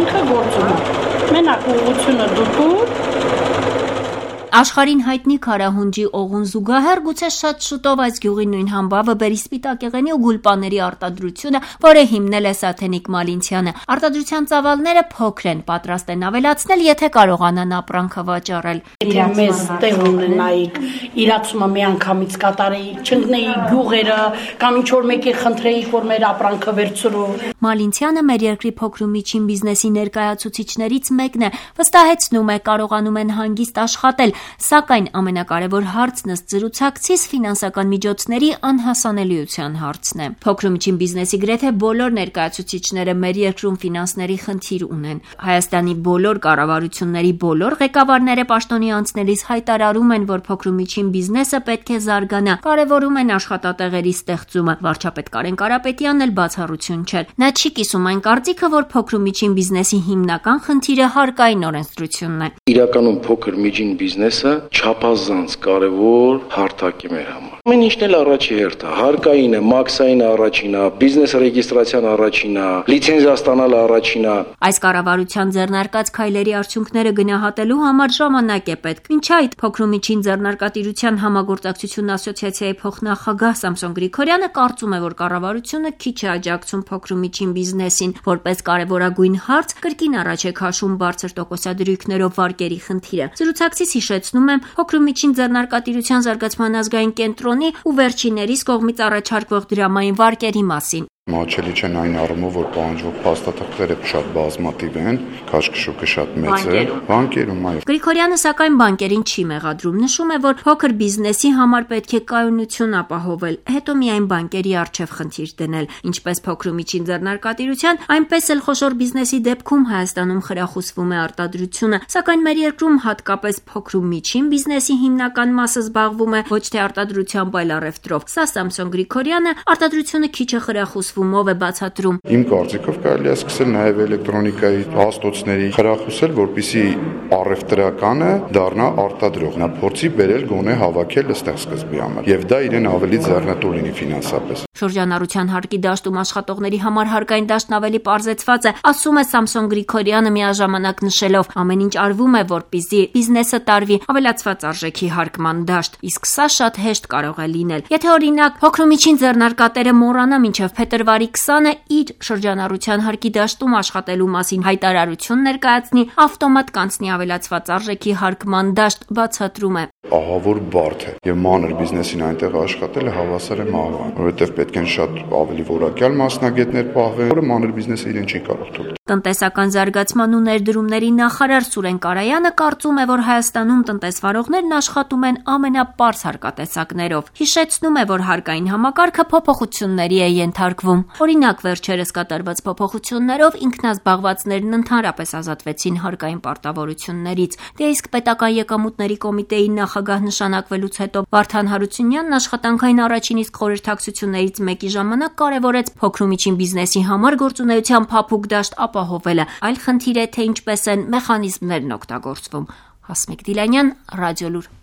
ինքը գործում է։ Մենակ ուղղությունը դուր Աշխարհին հայտնի Քարահունջի օղուն զուգահեռ գուցե շատ շուտով այս գյուղի նույն համբավը բերի սպիտակեղենի ու գուլպաների արտադրությունը, որը հիմնել է Սաթենիկ Մալինցյանը։ Արտադրության ծավալները փոքր են, պատրաստ են ավելացնել, եթե կարողանան ապրանքը վաճառել։ Եթե մեզ տեղ ունենայիք, իրացումը մի անգամից կատարեիք, չընկնեիք գյուղերը, կամ ինչ-որ մեկի խնդրեիք, որ մեր ապրանքը վերցրու։ Մալինցյանը մեր երկրի փոքր ու միջին բիզնեսի ներկայացուցիչներից մեկն է, վստահեցնում է, կարողանում են հանգիստ աշխատել, սակայն ամենակարևոր հարցն ըստ զրուցակցիս ֆինանսական միջոցների անհասանելիության հարցն է։ Փոքր ու միջին բիզնեսի գրեթե բոլոր ներկայացուցիչները մեր երկրում ֆինանսների խնդիր ունեն։ Հայաստանի բոլոր կառավարությունների բոլոր ղեկավարները պաշտոնի անցնելիս հայտարարում են, որ փոքր ու միջին բիզնեսը պետք է զարգանա, կարևորում են աշխատատեղերի ստեղծումը։ Վարչապետ Կարեն Կարապետյանն էլ բացառություն չէր։ Նա չի կիսում այն կարծիքը, որ փոքր ու միջին բիզնեսի հիմնական խնդիրը հարկային օրենսդրությունն է։ Իրականում փոքր միջին բիզնեսը չափազանց կարևոր հարթակ է մեր համար։ Ամեն ինչն էլ առաջի հերթ է, հարկայինը, մաքսային առաջինը, բիզնես ռեգիստրացիան առաջինը, լիցենզիա ստանալը առաջինը։ Այս կառավարության ձեռնարկած քայլերի արդյունքները գնահատելու համար ժամանակ է պետք։ Մինչ այդ փոքր ու միջին ձեռնարկատիրության համագործակցություն ասոցիացիայի փոխնախագահ Սամսոն Գրիգորյանը կարծում է, որ կառավարությունը քիչ է աջակցում փոքր ու միջին բիզնեսին, որպես կարևորագույն հարց կրկին առաջ է քաշում բարձր տոկոսադրույքներով վարկերի խնդիրը։ Զրուցակցից հիշեցնում եմ փոքր ու միջին ձեռնարկատիրության զարգացման ազգային կենտրոնի ու վերջիններիս կողմից առաջարկվող դրամային վարկերի մասին։ Մաչելի չեն այն առումով, որ պահանջվող փաստաթղթերը շատ բազմաթիվ են, քաշքշուկը շատ մեծ է, բանկերում այո։ Գրիգորյանը սակայն բանկերին չի մեղադրում, նշում է, որ փոքր բիզնեսի համար պետք է կայունություն ապահովել, հետո միայն բանկերի առջև խնդիր դնել, ինչպես փոքր ու միջին ձեռնարկատիրության, այնպես էլ խոշոր բիզնեսի դեպքում Հայաստանում խրախուսվում է արտադրությունը, սակայն մեր երկրում հատկապես փոքր ու միջին բիզնեսի հիմնական մասը զբաղվում է ոչ թե արտադրությամբ, այլ առևտրով։ Սա Սամսոն Գրիգորյանը արտադրությունը քիչ է խրախուսվում ով է բացատրում։ Իմ կարծիքով կարելի է սկսել նաև էլեկտրոնիկայի հաստոցների խրախուսել, որպեսզի առևտրականը դառնա արտադրող, նա փորձի բերել գոնե հավաքել ըստեղ սկզբի համար, եւ դա իրեն ավելի ձեռնտու լինի ֆինանսապես։ Շրջանառության հարկի դաշտում աշխատողների համար հարկային դաշտն ավելի պարզեցված է, ասում է Սամսոն Գրիգորյանը միաժամանակ նշելով. ամեն ինչ արվում է, որպեսզի բիզնեսը տարվի ավելացված արժեքի հարկման դաշտ, իսկ սա շատ հեշտ կարող է լինել։ Եթե օրինակ փոքր ու միջին ձեռնարկատերը մոռանա մինչև փետրվարի 20-ը իր շրջանառության հարկի դաշտում աշխատելու մասին հայտարարություն ներկայացնի, ավտոմատ կանցնի ավելացված արժեքի հարկման դաշտ, բացատրում է։ Ահավոր բարդ է եւ մանր բիզնեսին այնտեղ աշխատելը հավասար է մահվան, որովհետեւ պետք են շատ ավելի որակյալ մասնագետներ պահվեն, որը մանր բիզնեսը իրեն չի կարող թույլ տալ։ Տնտեսական զարգացման ու ներդրումների նախարար Սուրեն Կարայանը կարծում է, որ Հայաստանում տնտեսվարողներն աշխատում են ամենապարզ հարկատեսակներով։ Հիշեցնում է, որ հարկային համակարգը փոփոխությունների է ենթարկվում։ Օրինակ, վերջերս կատարված փոփոխություններով ինքնազբաղվածներն ընդհանրապես ազատվեցին հարկային պարտավորություններից։ Դե իսկ պետական եկամուտների կոմիտեի նախագահ նշանակվելուց հետո Վարդան Հարությունյանն աշխատանքային առաջին իսկ խորհրդակցություններից մեկի ժամանակ կարևորեց փոքր ու միջին բիզնեսի համար գործունեության փափուկ դաշտ ապահովելը։ Այլ խնդիր է, թե ինչպես են մեխանիզմներն օգտագործվում։ Հասմիկ Դիլանյան, Ռադիոլուր։